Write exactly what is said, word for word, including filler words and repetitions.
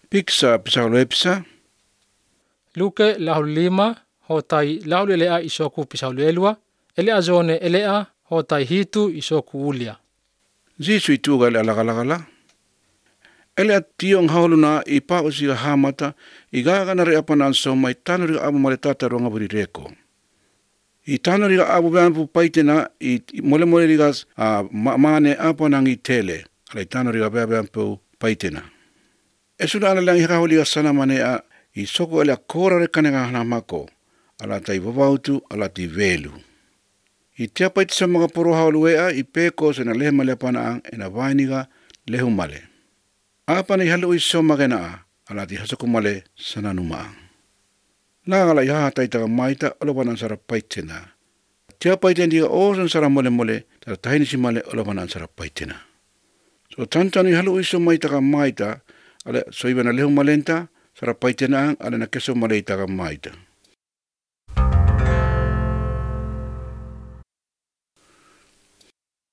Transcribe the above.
Piksa pisaulepsa. Luke lahulima ho tai lahulelea isoku pisaulelua, ele azone elea ho tai hitu isoku ulia. Zisu ituga ele alagalagala. Ele tiong hauluna i pausi hamata i gagana re apana so mai tanuri abu male tata ronga buri reko. I tanuri abu bampu paitena i mole mole rigas a mane apana ngi tele. Ale tanuri abu bampu paitena. Esuna ala lang hikahuli sana mane a i soko ele kora re kanega hana mako. Ala tai vavautu ala ti velu. I tia paiti sa mga poro haulua i peko sa na lehe male apana ang ena vainiga lehu male. Apa ni halu iso magena ala ti hasaku male sana numaang. Nangala iha taita maita olopanan sara paitena. Tia paiten dia osan sara mole mole tara tahini si male olopanan sara paitena. So tantanu halu iso maita ka maita ala soibana lehu malenta sara paitena ang ala na keso male ita ka maita.